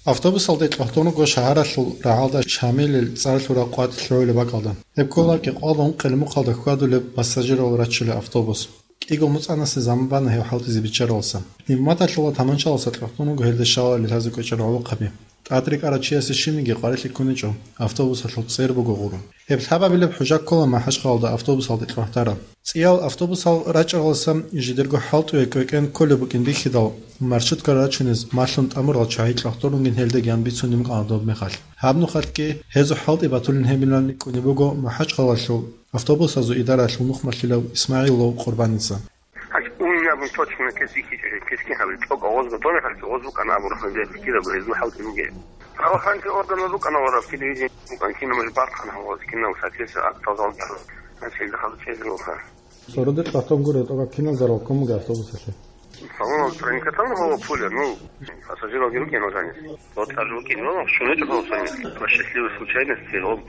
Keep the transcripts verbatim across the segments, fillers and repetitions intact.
Автобусалде кьогьдун руго шагьаралъул рагӀалда Шамилил цӀар лъураб къватӀ лъугӀулеб бакӀалда. Гьеб ккола кӀикъоялда ункъоялда мухъалда хьвадулеб пассажирал раччулеб автобус. КӀиго моцӀанасеб заман бана гьев хӀалтӀизе биччаравулса. Пневматалъула таманчаласа кьогьдун руго гьелда щалалел лъазе кӀвечӀеб гӀолохъаби. ТӀад рекӀарав чиясе щибниги къварилъи ккуничӀо, автобусалъул цӀер буго гъурун. Гьеб лъабабилеб хӀужа ккола МахӀачхъалалда автобусалде кьогьдараб. ЦӀиял автобусал рачӀаралдаса жидерго хӀалтӀуе кӀвекӀен кколеб букӀин бихьидал, маршрутка рачунез малъун тӀамурал чагӀи кьогьдун ругин гьелдеги ан бицунеб букӀана доб мехалъ. Гьаб нухалъги гьезул хӀалтӀи батулин гьебилан рикӀкӀунеб буго МахӀачхъалалъул автобусазул идаралъул нухмалъилав ИсмагӀилов Къурбаница. Гьанже унни абун точно кесихьичӀо, кесги гьабе, цӀокӀ гъозго донехалъги гъоз букӀана абураб гьанже кидаго гьезул хӀалтӀи бугеб. Правоохранительный орган букӀана ва телевидение букӀана, кинаб жо бахъана гьаваз, кинаб соответственно актал залдал. Значит, дахал чезрулха. Сородер кьатон гуро тога кинал зарал ккун буго автобусалъе? Салон проникатан гьава пуля, ну, пассажиралги рукӀина жанис. Вот аж рукӀин вала, шунечӀо гьава сонис. По счастливой случайности, он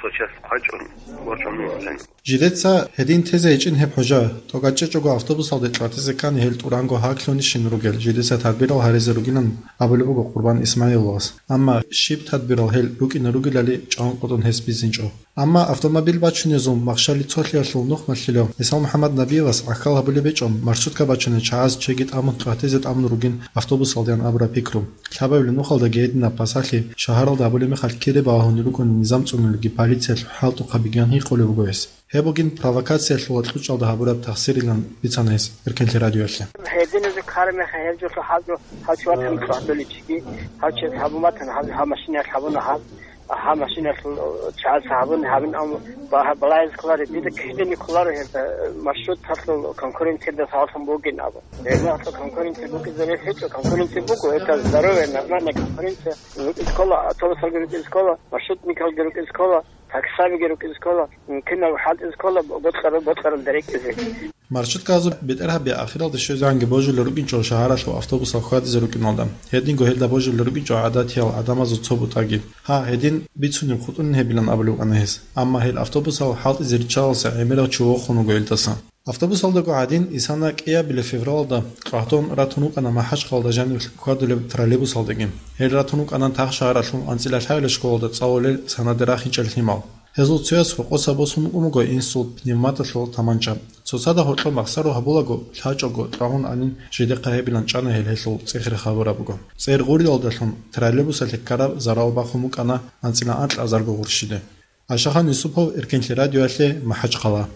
сейчас хъвачӀун, вачун вала жанис. Жидеца гьедин тезе гьечӀин гьеб хӀужа, тӀокӀачӀечӀого автобусалде кьватизе ккани гьел тӀуранго гьаглъунищин ругел жидеца тадбирал гьаризе ругилан абулеб буго Къурбан ИсмагӀиловас. Амма щиб тадбирал гьел рукӀине ругелали чӀванкъотӀун гьес бицинчӀо. Амма автомобиль бачунезул махщали цолъиялъул нухмалъилав ГӀисал МухӀаммад Набиевас гӀахьал гьабулеб гьечӀо маршрутка бачунел чагӀаз чеги тӀамун кьватизе тӀамун ругин автобусалдеян абураб пикру. Лъабабилеб нухалдаги гьединаб пасалъи шагьаралда гьабулеб мехалъ кире балагьун рукӀунеб низам цӀунулебги полициялъул хӀалтӀухъабиги ан гьикъулеб буго гьес. Гьеб бугин провокациялъула кьучӀалда гьабураб тахсирилан бицана гьес Эркенлъи радиоялъе. Гьединазе ккараб мехалъ гьеб жолъо гьаб жо гьав чи ватани кьватулев чиги, гьав чияс гьабун батани, гьав, гьав машинаялъ гьабуна гьаб, гьав машинаялъул чагӀаз гьабуни гьабин, амма ба-, балагьизе кколаро, дида ккеде кколаро гьеб, э, маршруталъул конкуренциялда сагӀалъун бугин абун. Гьеб мехалъ конкуренция букӀизе рес гьечӀо, конкуренция буго, это здоровая, нормальная конкуренция. РукӀизе ккола, автобусалги рукӀизе ккола, маршрутникалги рукӀизе ккола, таксабиги рукӀизе ккола, кинаб хӀалтӀизе ккола, бокьарал, бокьаралда рекӀизе. Маршруткаялъул бетӀергьаби ахиралде щвезегӀанги божулел рукӀинчӀо шагьаралъул автобусал хьвадизе рукӀиналда. Гьединго гьелда божулел рукӀинчӀо гӀадатиял гӀадамазул цо бутӀаги. Гьа, гьедин бицунеб хутӀунин гьебилан абулеб букӀана гьес. Амма гьел автобусал хӀалтӀизе риччалалса гӀемерав чи вохун вуго гьелдаса. Автобусалдаго гӀадин, исана кӀиабилеб февралалда кьогьдон ратун вукӀана МахӀачхъалалда жаниб хьвадулеб троллейбусалдаги. Гьел ратун вукӀана Тахшагьаралъул анцӀила лъагӀел школалда цӀалулел санаде рахинчӀел лъимал. Гьезул цояс гьоркьоса босун вукӀун буго инсул пневматалъул таманча. Цоцазда гьоркьоб махсаро гьабулаго, лъачӀого, тӀагьун анин жидехъа гьебилан чӀана гьел гьелъул цӀехире хабураб буго. ЦӀер гъурилалдалъун троллейбусалъе ккараб зарал бахун букӀана анцӀила анкьазарго гъурщиде. Ашахан Юсупов, Эркенлъи радиоялъе, МахӀачхъала.